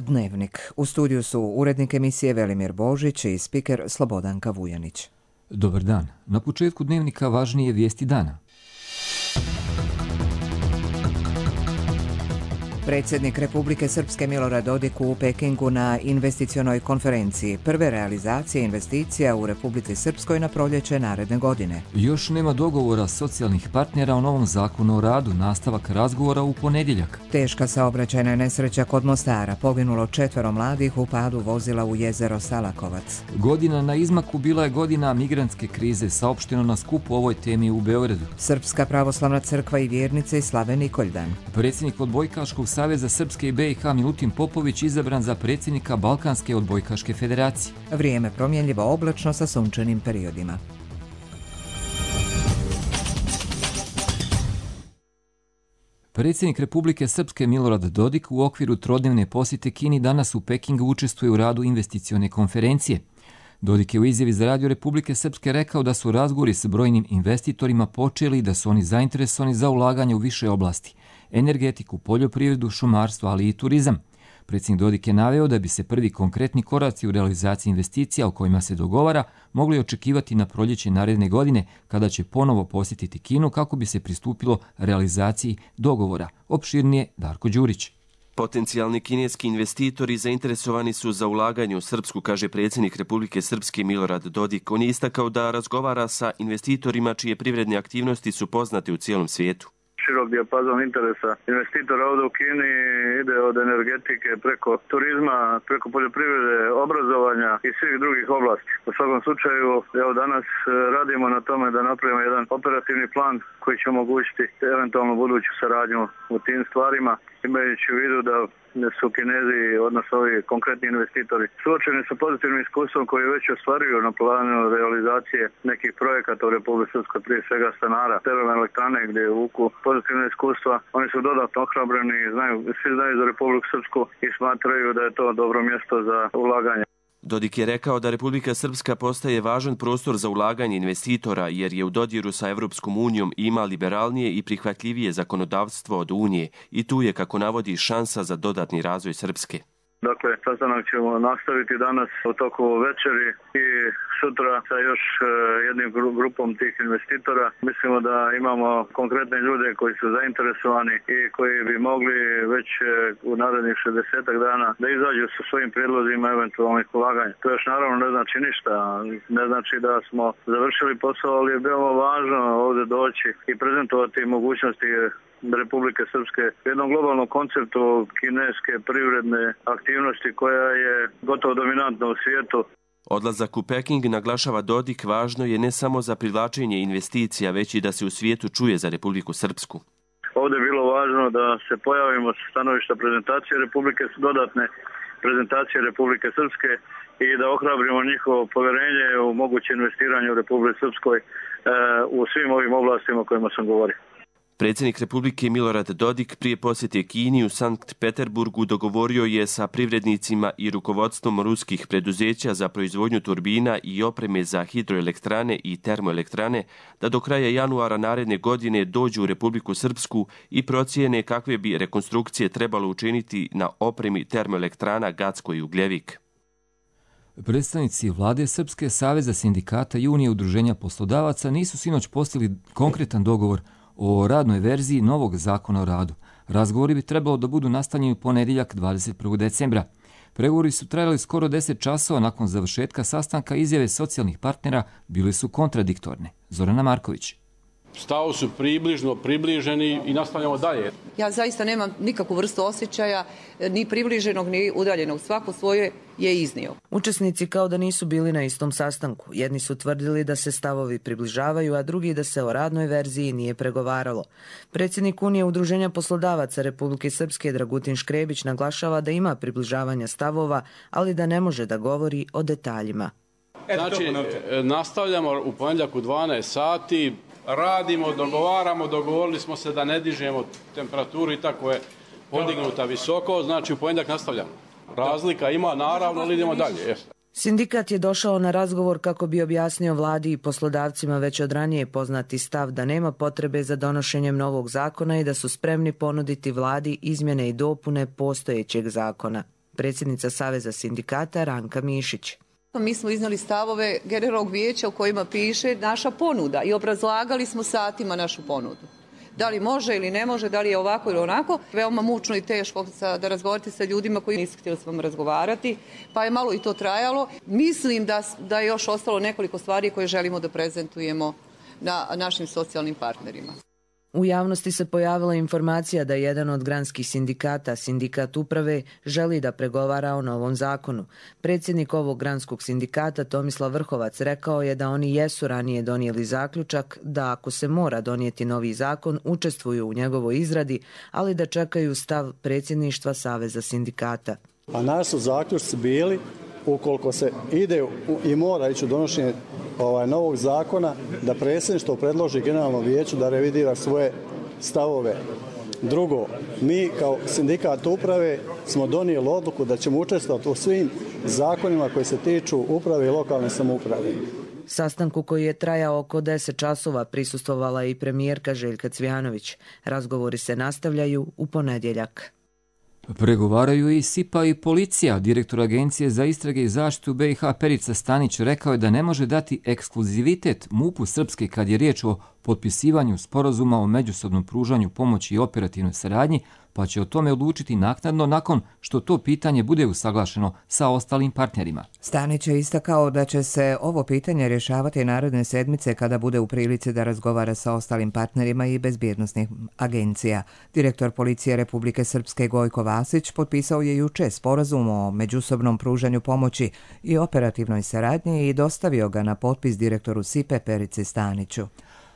Dnevnik. U studiju su urednik emisije Velimir Božić i spiker Slobodanka Vujanić. Dobar dan. Na početku Dnevnika važnije vijesti dana. Predsjednik Republike Srpske Milorad Dodik u Pekingu na investicionoj konferenciji. Prve realizacije investicija u Republici Srpskoj na proljeće naredne godine. Još nema dogovora socijalnih partnera o novom zakonu o radu, nastavak razgovora u ponedjeljak. Teška saobraćajna nesreća kod Mostara, poginulo 4 mladih u padu vozila u jezero Salakovac. Godina na izmaku bila je godina migrantske krize, saopšteno na skupu o ovoj temi u Beogradu. Srpska pravoslavna crkva i vjernice slave Nikoldan. Predsjednik odbojkaškog Saveza Srpske i BiH Milutin Popović izabran za predsjednika Balkanske odbojkaške federacije. Vrijeme promjenljivo oblačno sa sunčanim periodima. Predsjednik Republike Srpske Milorad Dodik u okviru trodnevne posjete Kini danas u Pekingu učestvuje u radu investicione konferencije. Dodik je u izjavi za Radio Republike Srpske rekao da su razgovori s brojnim investitorima počeli i da su oni zainteresovani za ulaganje u više oblasti: energetiku, poljoprivredu, šumarstvo, ali i turizam. Predsjednik Dodik je naveo da bi se prvi konkretni koraci u realizaciji investicija o kojima se dogovara mogli očekivati na proljeće naredne godine, kada će ponovo posjetiti Kinu kako bi se pristupilo realizaciji dogovora. Opširnije Darko Đurić. Potencijalni kineski investitori zainteresovani su za ulaganje u Srpsku, kaže predsjednik Republike Srpske Milorad Dodik. On je istakao da razgovara sa investitorima čije privredne aktivnosti su poznate u cijelom svijetu. Širok dijapazon interesa investitora ovdje u Kini ide od energetike preko turizma, preko poljoprivrede, obrazovanja i svih drugih oblasti. U svakom slučaju, evo danas radimo na tome da napravimo jedan operativni plan koji će omogućiti eventualno buduću saradnju u tim stvarima, imajući u vidu da su Kinezi, odnosno ovi konkretni investitori, suočeni sa pozitivnim iskustvom koji već ostvaruju na planu realizacije nekih projekata u Republici Srpskoj, prije svega stanara, termoelektrane gdje je vuku pozitivne iskustva. Oni su dodatno ohrabreni, svi znaju za Republiku Srpsku i smatraju da je to dobro mjesto za ulaganje. Dodik je rekao da Republika Srpska postaje važan prostor za ulaganje investitora jer je u dodiru sa Evropskom unijom i ima liberalnije i prihvatljivije zakonodavstvo od Unije i tu je, kako navodi, šansa za dodatni razvoj Srpske. Dakle, sastanak ćemo nastaviti danas u toku večeri i sutra sa još jednim grupom tih investitora. Mislimo da imamo konkretne ljude koji su zainteresovani i koji bi mogli već u narednih 60 dana da izađu sa svojim prijedlozima eventualnih ulaganja. To još naravno ne znači ništa, ne znači da smo završili posao, ali je veoma važno ovdje doći i prezentovati mogućnosti Republike Srpske u jednom globalnom konceptu kineske privredne aktivnosti koja je gotovo dominantna u svijetu. Odlazak u Peking, naglašava Dodik, važno je ne samo za privlačenje investicija, već i da se u svijetu čuje za Republiku Srpsku. Ovdje je bilo važno da se pojavimo sa stanovišta prezentacije Republike, dodatne prezentacije Republike Srpske i da ohrabrimo njihovo povjerenje u moguće investiranje u Republike Srpskoj u svim ovim oblastima o kojima sam govorio. Predsjednik Republike Milorad Dodik prije posjete Kini u Sankt Peterburgu dogovorio je sa privrednicima i rukovodstvom ruskih preduzeća za proizvodnju turbina i opreme za hidroelektrane i termoelektrane da do kraja januara naredne godine dođu u Republiku Srpsku i procijene kakve bi rekonstrukcije trebalo učiniti na opremi termoelektrana Gacko i Ugljevik. Predstavnici vlade Srpske, Saveza sindikata i Unije udruženja poslodavaca nisu sinoć postigli konkretan dogovor o radnoj verziji novog zakona o radu. Razgovori bi trebalo da budu nastavljeni u ponedjeljak 21. decembra. Pregovori su trajali skoro 10 časova. Nakon završetka sastanka izjave socijalnih partnera bile su kontradiktorne. Zorana Marković. Stavovi su približeni i nastavljamo dalje. Ja zaista nemam nikakvu vrstu osjećaja, ni približenog, ni udaljenog. Svako svoje je iznio. Učesnici kao da nisu bili na istom sastanku. Jedni su tvrdili da se stavovi približavaju, a drugi da se o radnoj verziji nije pregovaralo. Predsjednik Unije udruženja poslodavaca Republike Srpske Dragutin Škrebić naglašava da ima približavanja stavova, ali da ne može da govori o detaljima. Znači, nastavljamo u ponedjeljak u 12 sati. Radimo, dogovorili smo se da ne dižemo temperaturu i tako je podignuta visoko, znači u ponedjeljak nastavljamo. Razlika ima naravno, ali idemo dalje. Sindikat je došao na razgovor kako bi objasnio vladi i poslodavcima već od ranije poznati stav da nema potrebe za donošenjem novog zakona i da su spremni ponuditi vladi izmjene i dopune postojećeg zakona. predsjednica Saveza sindikata Ranka Mišić. Mi smo iznali stavove generalnog vijeća u kojima piše naša ponuda i obrazlagali smo satima našu ponudu. Da li može ili ne može, da li je ovako ili onako. Veoma mučno i teško da razgovarate sa ljudima koji nisu htjeli s vama razgovarati, pa je malo i to trajalo. Mislim da je još ostalo nekoliko stvari koje želimo da prezentujemo na našim socijalnim partnerima. U javnosti se pojavila informacija da jedan od granskih sindikata, sindikat uprave, želi da pregovara o novom zakonu. Predsjednik ovog granskog sindikata, Tomislav Vrhovac, rekao je da oni jesu ranije donijeli zaključak da ako se mora donijeti novi zakon, učestvuju u njegovoj izradi, ali da čekaju stav predsjedništva Saveza sindikata. A naši su zaključci bili, ukoliko se ide i mora ići u donošenje novog zakona, da predsjedništvo predloži generalnom vijeću da revidira svoje stavove. Drugo, mi kao sindikat uprave smo donijeli odluku da ćemo učestvovati u svim zakonima koji se tiču uprave i lokalne samouprave. Sastanku koji je trajao oko 10 časova prisustvovala i premijerka Željka Cvijanović. Razgovori se nastavljaju u ponedjeljak. Pregovaraju i SIPA i policija. Direktor Agencije za istrage i zaštitu BiH Perica Stanić rekao je da ne može dati ekskluzivitet MUP-u Srpske kad je riječ o potpisivanju sporazuma o međusobnom pružanju pomoći i operativnoj saradnji, pa će o tome odlučiti naknadno nakon što to pitanje bude usaglašeno sa ostalim partnerima. Stanić je istakao da će se ovo pitanje rješavati naredne sedmice kada bude u prilici da razgovara sa ostalim partnerima i bezbjednosnih agencija. Direktor policije Republike Srpske Gojko Vasić potpisao je juče sporazum o međusobnom pružanju pomoći i operativnoj saradnji i dostavio ga na potpis direktoru SIPE Perici Staniću.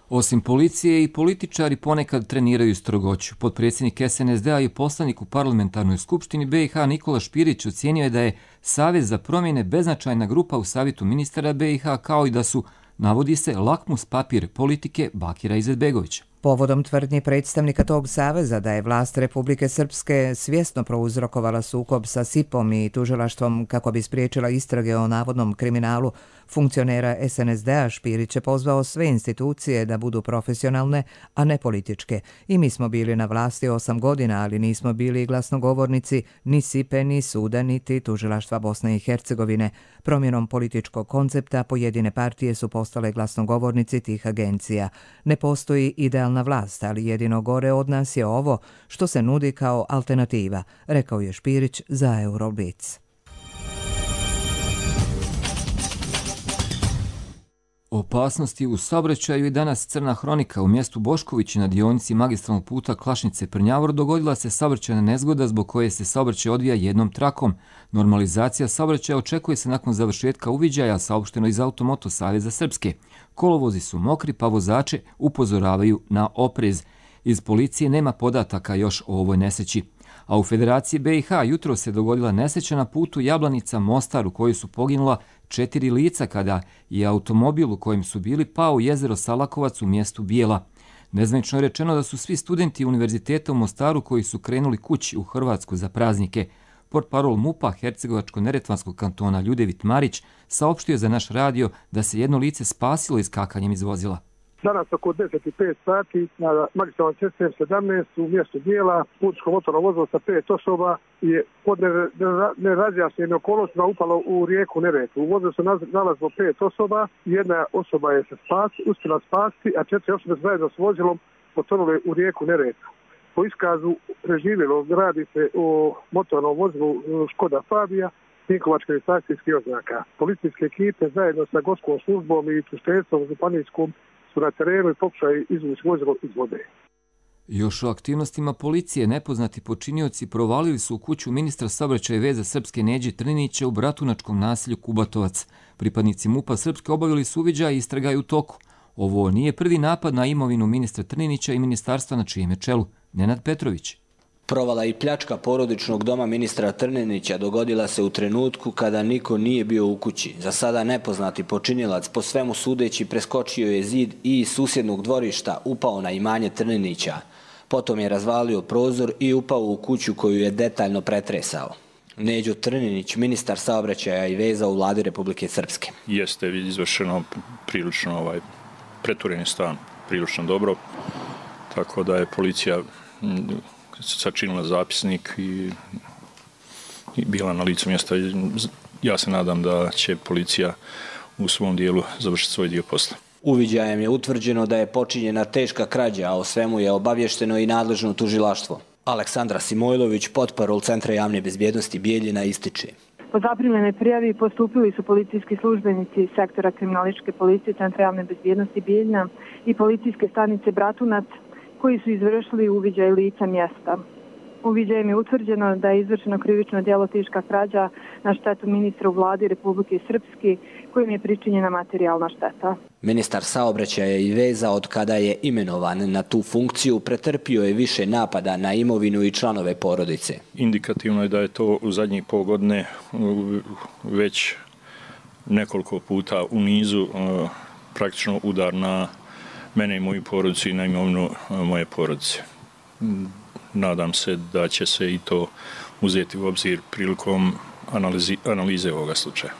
Osim policije i političari ponekad treniraju strogoću. Potpredsjednik SNSD-a i poslanik u parlamentarnoj skupštini BiH Nikola Špirić ocijenio je da je Savez za promjene beznačajna grupa u savjetu ministara BiH, kao i da su, navodi se, lakmus papir politike Bakira Izetbegovića. Povodom tvrdnji predstavnika tog saveza da je vlast Republike Srpske svjesno prouzrokovala sukob sa SIP-om i tužilaštvom kako bi spriječila istrage o navodnom kriminalu funkcionera SNSD-a, Špirić je pozvao sve institucije da budu profesionalne, a ne političke. I mi smo bili na vlasti 8 godina, ali nismo bili glasnogovornici ni SIP-e, ni suda, niti tužilaštva Bosne i Hercegovine. Promjenom političkog koncepta pojedine partije su postale glasnogovornici tih agencija. Ne postoji idealna vlast, ali jedino gore od nas je ovo što se nudi kao alternativa, rekao je Špirić za Euroblitz. Opasnosti u saobraćaju i danas crna hronika. U mjestu Boškovići na dionici magistralnog puta Klašnice-Prnjavor dogodila se saobraćajna nezgoda zbog koje se saobraćaj odvija jednom trakom. Normalizacija saobraćaja očekuje se nakon završetka uviđaja, saopšteno iz Automoto Saveza Srpske. Kolovozi su mokri, pa vozače upozoravaju na oprez. Iz policije nema podataka još o ovoj nesreći. A u Federaciji BiH jutro se dogodila nesreća na putu Jablanica-Mostar u kojoj su poginula 4 lica kada je automobil u kojem su bili pao u jezero Salakovac u mjestu Bijela. Nezvanično je rečeno da su svi studenti Univerziteta u Mostaru koji su krenuli kući u Hrvatsku za praznike. Portparol MUP-a Hercegovačko-neretvanskog kantona Ljudevit Marić saopštio za naš radio da se jedno lice spasilo iskakanjem iz vozila. Danas oko 10:05 sati na magistralnoj cesti M17 u mjestu Bijela putničko motorno vozilo sa 5 osoba je pod nerazjašnjenim okolnostima upalo u rijeku Neretvu. U vozilu se nalazilo 5 osoba, jedna osoba je se uspjela spasti, a 4 osobe zajedno s vozilom potonule u rijeku Neretvu. Po iskazu preživjelog radi se o motornom vozilu Škoda Fabija, Vinkovačke registracijskih oznaka. Policijske ekipe zajedno sa gorskom službom i tužiteljstvom županijskom su na terenu i pokušaju izvući vozilo iz vode. Još o aktivnostima policije nepoznati počinioci provalili su u kuću ministra saobraćaja i veza Srpske Neđe Trninića u bratunačkom naselju Kubatovac. Pripadnici MUP-a Srpske obavili su uviđaj i istraga je u toku. Ovo nije prvi napad na imovinu ministra Trninića i ministarstva na čijem je čelu Nenad Petrović. Provala i pljačka porodičnog doma ministra Trninića dogodila se u trenutku kada niko nije bio u kući. Za sada nepoznati počinilac po svemu sudeći preskočio je zid i iz susjednog dvorišta upao na imanje Trninića. Potom je razvalio prozor i upao u kuću koju je detaljno pretresao. Neđo Trninić, ministar saobraćaja i veza u vladi Republike Srpske. Jeste izvršeno prilično preturen je stan prilično dobro, tako da je policija sačinila zapisnik i bila na licu mjesta. Ja se nadam da će policija u svom dijelu završiti svoj dio posla. Uviđajem je utvrđeno da je počinjena teška krađa, a o svemu je obavješteno i nadležno tužilaštvo. Aleksandra Simojlović, portparol Centra javne bezbjednosti Bijeljina, ističe. Po zaprimljenoj prijavi postupili su policijski službenici sektora kriminalističke policije Centra javne bezbjednosti Bijeljina i policijske stanice Bratunac, koji su izvršili uviđaj lica mjesta. Uviđajem je utvrđeno da je izvršeno krivično djelo teška krađa na štetu ministra u vladi Republike Srpske, kojim je pričinjena materijalna šteta. Ministar saobraćaja i veza, od kada je imenovan na tu funkciju, pretrpio je više napada na imovinu i članove porodice. Indikativno je da je to u zadnjih pol godine već nekoliko puta u nizu praktično udar na mene i moju porodicu i na imovinu moje porodice. Nadam se da će se i to uzeti u obzir prilikom analize ovoga slučaja.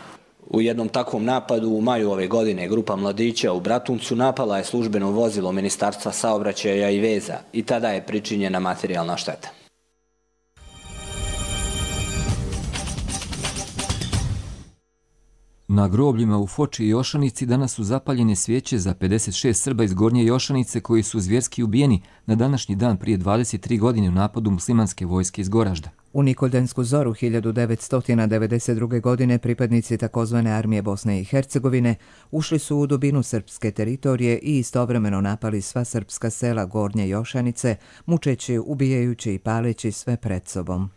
U jednom takvom napadu u maju ove godine grupa mladića u Bratuncu napala je službeno vozilo Ministarstva saobraćaja i veza i tada je pričinjena materijalna šteta. Na grobljima u Foči i Jošanici danas su zapaljene svijeće za 56 Srba iz Gornje Jošanice koji su zvjerski ubijeni na današnji dan prije 23 godine u napadu muslimanske vojske iz Goražda. U Nikoldansku zoru 1992. godine pripadnici takozvane armije Bosne i Hercegovine ušli su u dubinu srpske teritorije i istovremeno napali sva srpska sela Gornje Jošanice, mučeći, ubijajući i paleći sve pred sobom.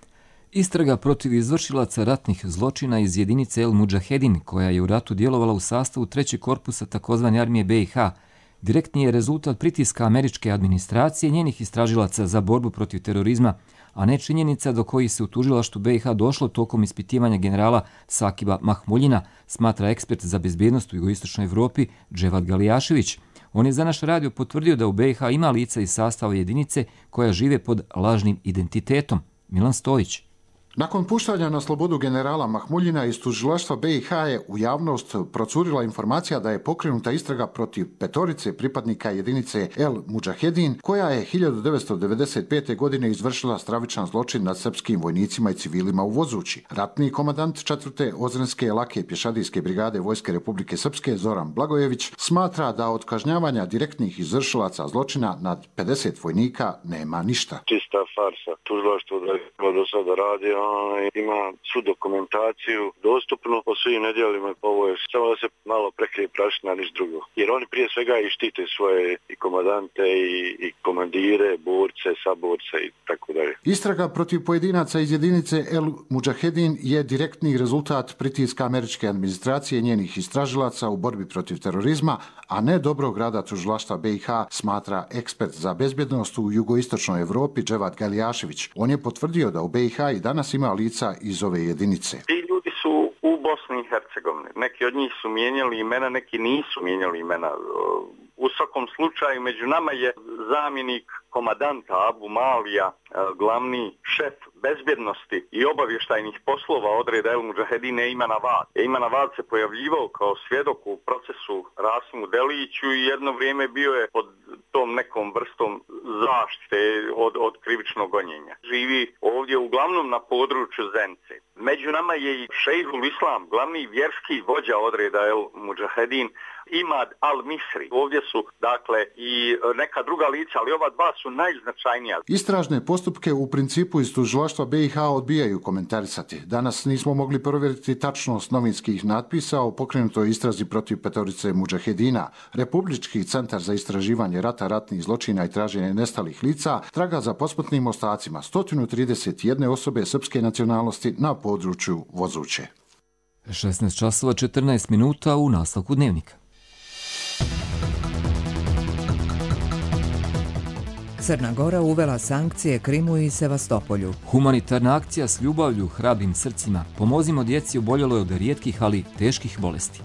Istraga protiv izvršilaca ratnih zločina iz jedinice El Mudžahedin, koja je u ratu djelovala u sastavu 3. korpusa takozvane armije BiH, direktni je rezultat pritiska američke administracije i njenih istražilaca za borbu protiv terorizma, a ne činjenica do kojih se u tužilaštvu BiH došlo tokom ispitivanja generala Sakiba Mahmuljina, smatra ekspert za bezbjednost u jugoistočnoj Evropi Dževad Galijašević. On je za naš radio potvrdio da u BiH ima lica iz sastava jedinice koja žive pod lažnim identitetom. Milan Stojić. Nakon puštanja na slobodu generala Mahmuljina iz tužilaštva BiH je u javnost procurila informacija da je pokrenuta istraga protiv 5 pripadnika jedinice El Mudžahedin, koja je 1995. godine izvršila stravičan zločin nad srpskim vojnicima i civilima u Vozući. Ratni komandant 4. Ozrenske lake pješadijske brigade Vojske Republike Srpske Zoran Blagojević smatra da od kažnjavanja direktnih izvršilaca zločina nad 50 vojnika nema ništa. Čista farsa. Tužilaštvo da do sada radi, ima svu dokumentaciju dostupnu po svim nedjelima, ovo je samo da se malo prekrije prašina, niš drugo. Jer oni prije svega i štite svoje i komandante i komandire, borce, saborce i tako dalje. Istraga protiv pojedinaca iz jedinice El Mudžahedin je direktni rezultat pritiska američke administracije i njenih istražilaca u borbi protiv terorizma, a ne dobrog rada tužilaštva BiH, smatra ekspert za bezbjednost u jugoistočnoj Evropi Dževad Galijašević. On je potvrdio da u BiH i danas ima lica iz ove jedinice. Ti ljudi su u Bosni i Hercegovini. Neki od njih su mijenjali imena, neki nisu mijenjali imena. U svakom slučaju među nama je zamjenik komandanta Abu Malija, glavni šef bezbjednosti i obavještajnih poslova odreda El Mudžahedine Eiman Avad. Eiman Avad se pojavljivao kao svjedok u procesu Rasimu Deliću i jedno vrijeme bio je pod tom nekom vrstom zaštite od krivičnog gonjenja. Živi ovdje uglavnom na području Zence. Među nama je i Šejhul Islam, glavni vjerski vođa odreda El Mudžahedin, Imad al-Misri. Ovdje su, dakle, i neka druga lica, ali ova dva su najznačajnija. Istražne postupke u principu iz tužilaštva BiH odbijaju komentarisati. Danas nismo mogli provjeriti tačnost novinskih natpisa o pokrenutoj istrazi protiv 5 mudžahedina. Republički centar za istraživanje rata, ratnih zločina i traženje nestalih lica traga za posmrtnim ostacima 131 osobe srpske nacionalnosti na području Vozuće. 16 časova 14 minuta u nastavku dnevnika. Crna Gora uvela sankcije Krimu i Sevastopolju. Humanitarna akcija s ljubavlju, hrabrim srcima. Pomozimo djeci oboljeloj od rijetkih, ali teških bolesti.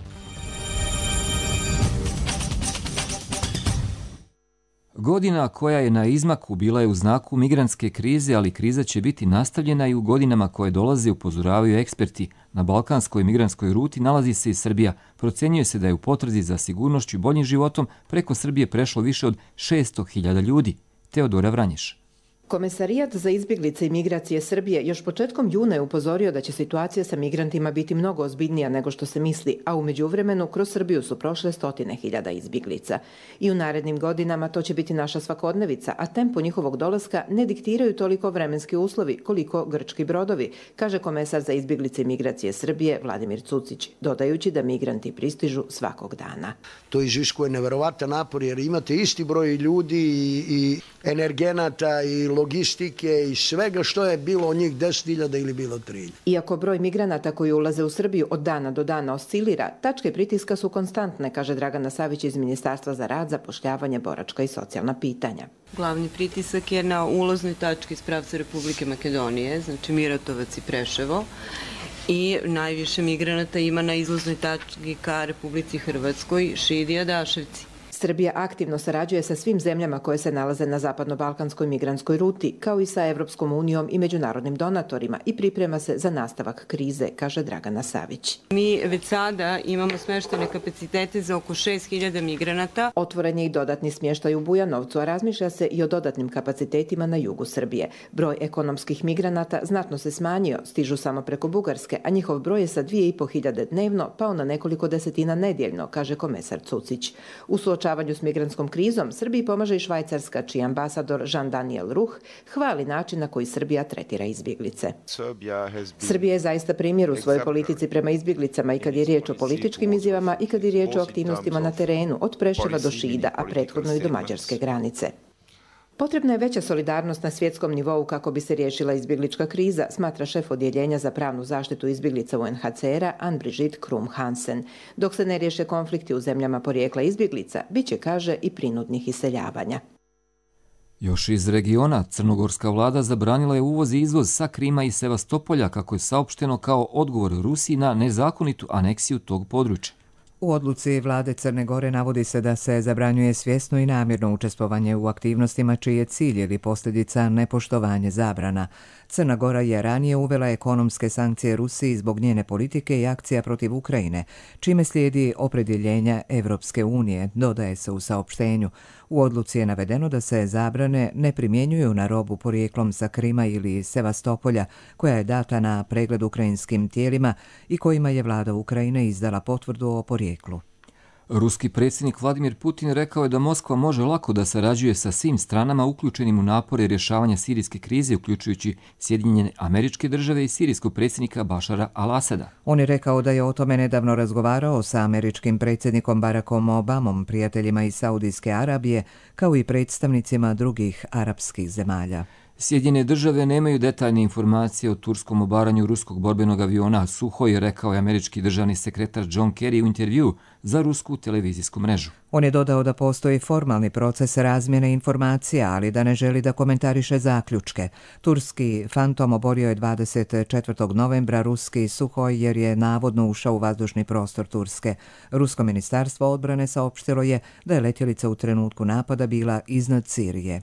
Godina koja je na izmaku bila je u znaku migrantske krize, ali kriza će biti nastavljena i u godinama koje dolaze, upozoravaju eksperti. Na balkanskoj migrantskoj ruti nalazi se i Srbija. Procjenjuje se da je u potrazi za sigurnošću i boljim životom preko Srbije prešlo više od 600.000 ljudi. Teodora Vranješ. Komesarijat za izbjeglice i migracije Srbije još početkom juna je upozorio da će situacija sa migrantima biti mnogo ozbiljnija nego što se misli, a u međuvremenu kroz Srbiju su prošle 100.000 izbjeglica. I u narednim godinama to će biti naša svakodnevica, a tempo njihovog dolaska ne diktiraju toliko vremenski uslovi koliko grčki brodovi, kaže komesar za izbjeglice i migracije Srbije Vladimir Cucić, dodajući da migranti pristižu svakog dana. To iziskuje neverovatan napor jer imate isti broj ljudi i energenata i logistike i svega što je bilo od njih 10.000 ili bilo 3.000. Iako broj migranata koji ulaze u Srbiju od dana do dana oscilira, tačke pritiska su konstantne, kaže Dragana Savić iz Ministarstva za rad, zapošljavanje, boračka i socijalna pitanja. Glavni pritisak je na uloznoj tački iz pravca Republike Makedonije, znači Miratovac i Preševo, i najviše migranata ima na izlaznoj tački ka Republici Hrvatskoj, Šid i Adaševci. Srbija aktivno sarađuje sa svim zemljama koje se nalaze na zapadno-balkanskoj migrantskoj ruti, kao i sa Evropskom unijom i međunarodnim donatorima i priprema se za nastavak krize, kaže Dragana Savić. Mi već sada imamo smještene kapacitete za oko 6.000 migranata. Otvoren je i dodatni smještaj u Bujanovcu, a razmišlja se i o dodatnim kapacitetima na jugu Srbije. Broj ekonomskih migranata znatno se smanjio, stižu samo preko Bugarske, a njihov broj je sa 2.500 dnevno pao na nekoliko desetina nedjeljno, kaže komesar Cucić. U suočavanju s migrantskom krizom Srbiji pomaže i Švajcarska, čiji ambasador Jean-Daniel Ruch hvali način na koji Srbija tretira izbjeglice. Srbija je zaista primjer u svojoj politici prema izbjeglicama i kad je riječ o političkim izjavama i kad je riječ o aktivnostima na terenu, od Preševa do Šida, a prethodno i do mađarske granice. Potrebna je veća solidarnost na svjetskom nivou kako bi se riješila izbjeglička kriza, smatra šef odjeljenja za pravnu zaštitu izbjeglica UNHCR-a Ann-Brigitte Krum-Hansen. Dok se ne riješe konflikti u zemljama porijekla izbjeglica, bit će, kaže, i prinudnih iseljavanja. Još iz regiona, crnogorska vlada zabranila je uvoz i izvoz sa Krima i Sevastopolja, kako je saopšteno kao odgovor Rusiji na nezakonitu aneksiju tog područja. U odluci vlade Crne Gore navodi se da se zabranjuje svjesno i namjerno učestvovanje u aktivnostima čiji je cilj ili posljedica nepoštovanje zabrana. Crna Gora je ranije uvela ekonomske sankcije Rusiji zbog njene politike i akcija protiv Ukrajine, čime slijedi opredjeljenja Evropske unije, dodaje se u saopštenju. U odluci je navedeno da se zabrane ne primjenjuju na robu porijeklom sa Krima ili Sevastopolja, koja je data na pregled ukrajinskim tijelima i kojima je vlada Ukrajine izdala potvrdu o porijeklu. Ruski predsjednik Vladimir Putin rekao je da Moskva može lako da sarađuje sa svim stranama uključenim u napore rješavanja sirijske krize, uključujući Sjedinjene Američke Države i sirijskog predsjednika Bašara al-Asada. On je rekao da je o tome nedavno razgovarao sa američkim predsjednikom Barackom Obamom, prijateljima iz Saudijske Arabije, kao i predstavnicima drugih arapskih zemalja. Sjedinjene Države nemaju detaljne informacije o turskom obaranju ruskog borbenog aviona Suhoj, rekao je američki državni sekretar John Kerry u intervju za rusku televizijsku mrežu. On je dodao da postoji formalni proces razmjene informacija, ali da ne želi da komentariše zaključke. Turski Fantom oborio je 24. novembra ruski Suhoj jer je navodno ušao u vazdušni prostor Turske. Rusko ministarstvo odbrane saopštilo je da je letjelica u trenutku napada bila iznad Sirije.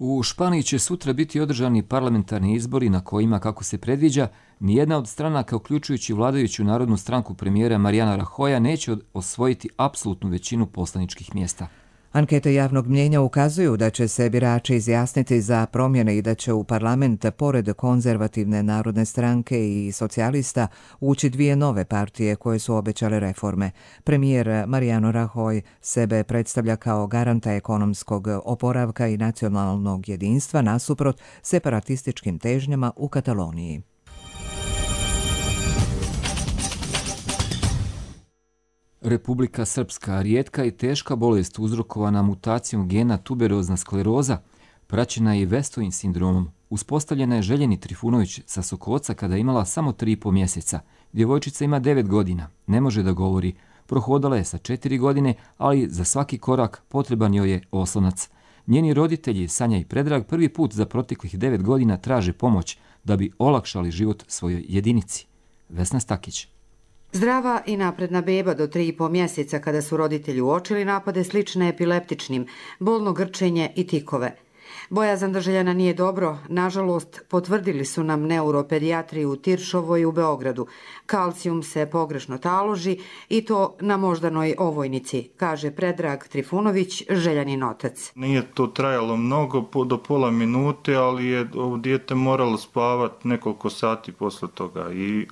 U Španiji će sutra biti održani parlamentarni izbori na kojima, kako se predviđa, nijedna od stranaka, uključujući vladajuću Narodnu stranku premijera Mariana Rajoya, neće osvojiti apsolutnu većinu poslaničkih mjesta. Ankete javnog mnjenja ukazuju da će se birači izjasniti za promjene i da će u parlament, pored konzervativne Narodne stranke i socijalista, ući dvije nove partije koje su obećale reforme. Premijer Mariano Rajoy sebe predstavlja kao garanta ekonomskog oporavka i nacionalnog jedinstva nasuprot separatističkim težnjama u Kataloniji. Republika Srpska, rijetka i teška bolest uzrokovana mutacijom gena tuberozna skleroza, praćena je i Westovim sindromom. Uspostavljena je Željeni Trifunović sa Sokoca kada je imala samo 3,5 mjeseca. Djevojčica ima 9 godina, ne može da govori. Prohodala je sa 4 godine, ali za svaki korak potreban joj je oslonac. Njeni roditelji, Sanja i Predrag, prvi put za proteklih 9 godina traže pomoć da bi olakšali život svojoj jedinici. Vesna Stakić. Zdrava i napredna beba do 3,5 mjeseca kada su roditelji uočili napade slične epileptičnim, bolno grčenje i tikove. Bojazan da Željana nije dobro, nažalost, potvrdili su nam neuropedijatri u Tiršovoj u Beogradu. Kalcijum se pogrešno taloži i to na moždanoj ovojnici, kaže Predrag Trifunović, Željanin otac. Nije to trajalo mnogo, do pola minute, ali je dijete moralo spavati nekoliko sati posle toga. I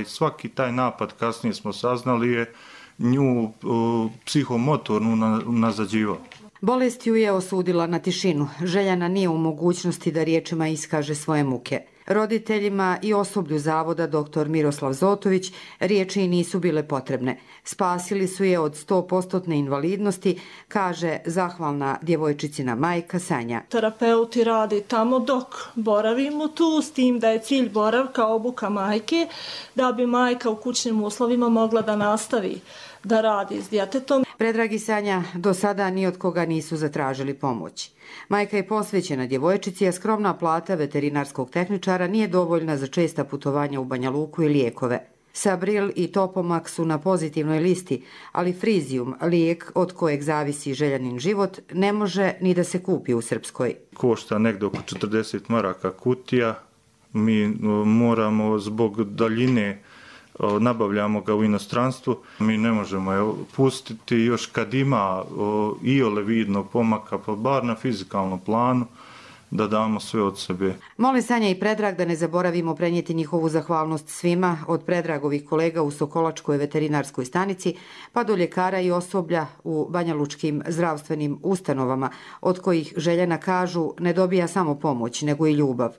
svaki taj napad, kasnije smo saznali, je nju psihomotorno nazađivao. Bolest ju je osudila na tišinu. Željana nije u mogućnosti da riječima iskaže svoje muke. Roditeljima i osoblju zavoda dr. Miroslav Zotović riječi nisu bile potrebne. Spasili su je od 100% invalidnosti, kaže zahvalna djevojčicina majka Sanja. Terapeuti radi tamo dok boravimo tu, s tim da je cilj boravka obuka majke, da bi majka u kućnim uslovima mogla da nastavi da radi s djetetom. Predrag i Sanja do sada ni od koga nisu zatražili pomoć. Majka je posvećena djevojčici, a skromna plata veterinarskog tehničara nije dovoljna za česta putovanja u Banja Luku i lijekove. Sabril i Topomak su na pozitivnoj listi, ali Frizium, lijek od kojeg zavisi Željanin život, ne može ni da se kupi u Srpskoj. Košta negdje oko 40 maraka kutija. Mi moramo zbog daljine, nabavljamo ga u inostranstvu. Mi ne možemo je pustiti još kad ima iole vidnog pomaka, pa bar na fizikalnom planu, da damo sve od sebe. Mole Sanja i Predrag da ne zaboravimo prenijeti njihovu zahvalnost svima, od Predragovih kolega u Sokolačkoj veterinarskoj stanici, pa do ljekara i osoblja u banjalučkim zdravstvenim ustanovama, od kojih Željana kažu ne dobija samo pomoć, nego i ljubav.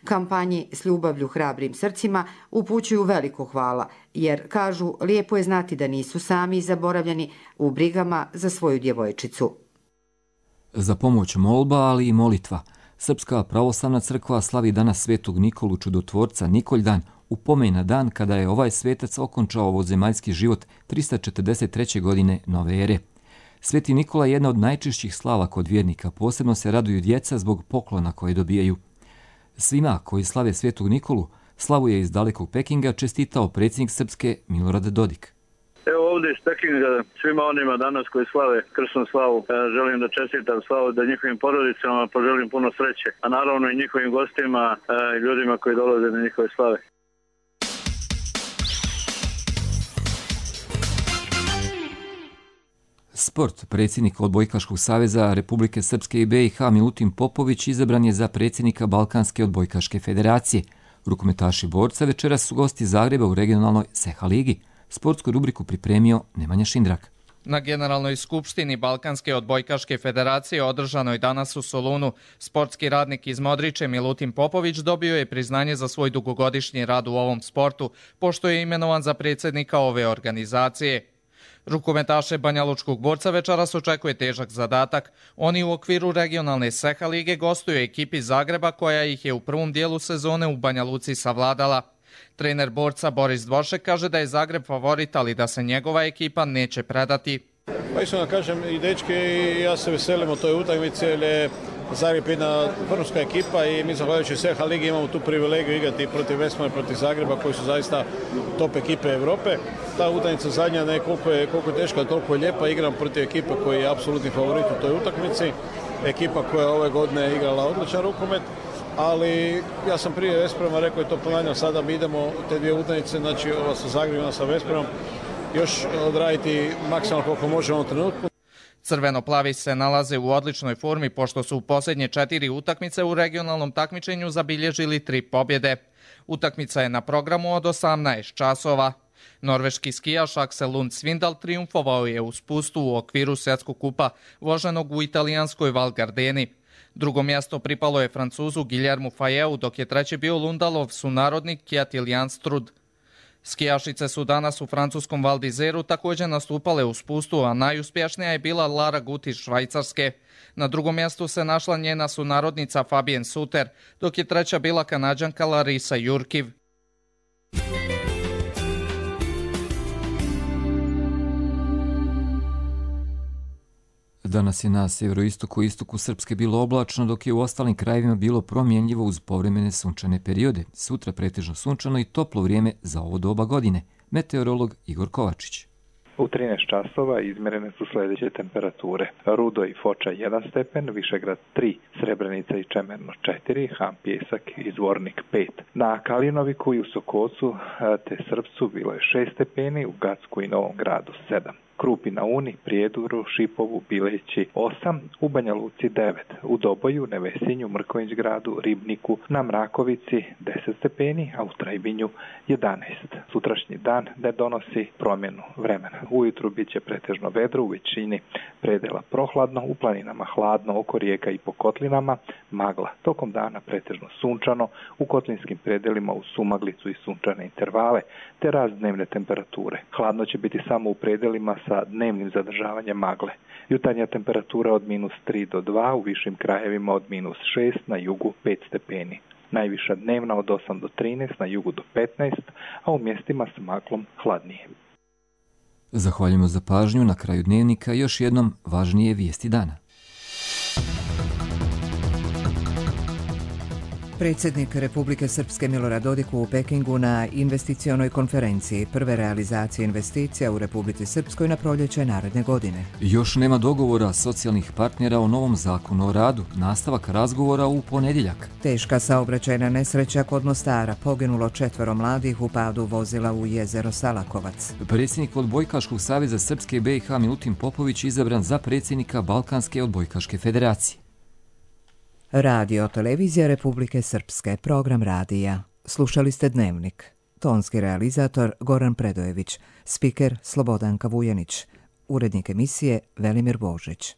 Kampanji S ljubavlju hrabrim srcima upućuju veliko hvala, jer kažu lijepo je znati da nisu sami zaboravljeni u brigama za svoju djevojčicu. Za pomoć molba, ali i molitva. Srpska pravoslavna crkva slavi danas Svetog Nikolu Čudotvorca Nikoljdan, u pomen na dan kada je ovaj svetac okončao ovozemaljski život 343. godine nove ere. Sveti Nikola je jedna od najčešćih slava kod vjernika, posebno se raduju djeca zbog poklona koje dobijaju. Svima koji slave Svetog Nikolu, slavu je iz dalekog Pekinga čestitao predsjednik Srpske Milorad Dodik. Evo ovdje iz Pekinga svima onima danas koji slave krsnu slavu želim da čestitam slavu, da njihovim porodicama poželim puno sreće, a naravno i njihovim gostima i ljudima koji dolaze na njihove slave. Sport. Predsjednik Odbojkaškog saveza Republike Srpske i BiH Milutin Popović izabran je za predsjednika Balkanske odbojkaške federacije. Rukometaši borca večeras su gosti Zagreba u regionalnoj SEHA ligi. Sportsku rubriku pripremio Nemanja Šindrak. Na Generalnoj skupštini Balkanske odbojkaške federacije održanoj danas u Solunu, sportski radnik iz Modriče Milutin Popović dobio je priznanje za svoj dugogodišnji rad u ovom sportu, pošto je imenovan za predsjednika ove organizacije. Rukometaše Banjalučkog borca večeras očekuje težak zadatak. Oni u okviru regionalne SEHA lige gostuju ekipi Zagreba koja ih je u prvom dijelu sezone u Banja Luci savladala. Trener borca Boris Dvoršek kaže da je Zagreb favorit, ali da se njegova ekipa neće predati. Pa iskreno kažem, i dečki i ja se veselim o toj utakmici, jer je Zagreb jedna vrhunska ekipa i mi zahvaljujući SEHA ligi imamo tu privilegiju igrati protiv Vesmana i protiv Zagreba koji su zaista top ekipe Europe. Ta utakmica zadnja, koliko je teška, toliko je lijepa, igram protiv ekipe koji je apsolutni favorit u toj utakmici. Ekipa koja ove godine igrala odličan rukomet, ali ja sam prije Vesprema rekao i to ponavljam, sada mi idemo te dvije utakmice, znači ova sa Zagrebom, sa Vespremom, još odraditi maksimalno koliko možemo u trenutku. Crveno-plavi se nalaze u odličnoj formi pošto su u posljednje 4 utakmice u regionalnom takmičenju zabilježili 3 pobjede. Utakmica je na programu od 18 časova. Norveški skijaš Aksel Lund Svindal triumfovao je u spustu u okviru svjetskog kupa voženog u italijanskoj Val Gardeni. Drugo mjesto pripalo je Francuzu Guillermu Fayeu, dok je treći bio Lundalov sunarodnik Kjetiljan Strud. Skijašice su danas u francuskom Val d'Izeru također nastupale u spustu, a najuspješnija je bila Lara Gut iz Švajcarske. Na drugom mjestu se našla njena sunarodnica Fabienne Suter, dok je treća bila Kanađanka Larisa Jurkiv. Danas je na sjeveroistoku i istoku Srpske bilo oblačno, dok je u ostalim krajevima bilo promjenljivo uz povremene sunčane periode. Sutra pretežno sunčano i toplo vrijeme za ovo doba godine. Meteorolog Igor Kovačić. U 13 časova izmjerene su sljedeće temperature. Rudo i Foča 1 stepen, Višegrad 3, Srebrenica i Čemerno 4, Ham Pjesak i Zvornik 5. Na Kalinoviku i u Sokocu te Srpcu bilo je 6 stepeni, u Gacku i Novom Gradu 7. Krupi na Uni, Prijeduru, Šipovu, Bileći 8, u Banja Luci 9, u Doboju, Nevesinju, Mrković-gradu, Ribniku, na Mrakovici 10 stepeni, a u Trajbinju 11. Sutrašnji dan ne donosi promjenu vremena. Ujutru bit će pretežno vedro, u većini predela prohladno, u planinama hladno, oko rijeka i po kotlinama magla. Tokom dana pretežno sunčano, u kotlinskim predelima uz sumaglicu i sunčane intervale, te rast dnevne temperature. Hladno će biti samo u predelima sa dnevnim zadržavanjem magle. Jutarnja temperatura od -3 do 2, u višim krajevima od -6, na jugu 5 stepeni. Najviša dnevna od 8 do 13, na jugu do 15, a u mjestima s maglom hladnije. Zahvaljujemo za pažnju. Na kraju dnevnika još jednom važnije vijesti dana. Predsjednik Republike Srpske Milorad Dodik u Pekingu na investicionoj konferenciji prve realizacije investicija u Republici Srpskoj na proljeće naredne godine. Još nema dogovora socijalnih partnera o novom zakonu o radu. Nastavak razgovora u ponedjeljak. Teška saobraćajna nesreća kod Mostara. Poginulo 4 mladih u padu vozila u jezero Salakovac. Predsjednik Odbojkaškog saveza Srpske BiH Milutin Popović izabran za predsjednika Balkanske odbojkaške federacije. Radio Televizija Republike Srpske, program radija. Slušali ste Dnevnik. Tonski realizator Goran Predojević, spiker Slobodanka Vujanić, urednik emisije Velimir Božić.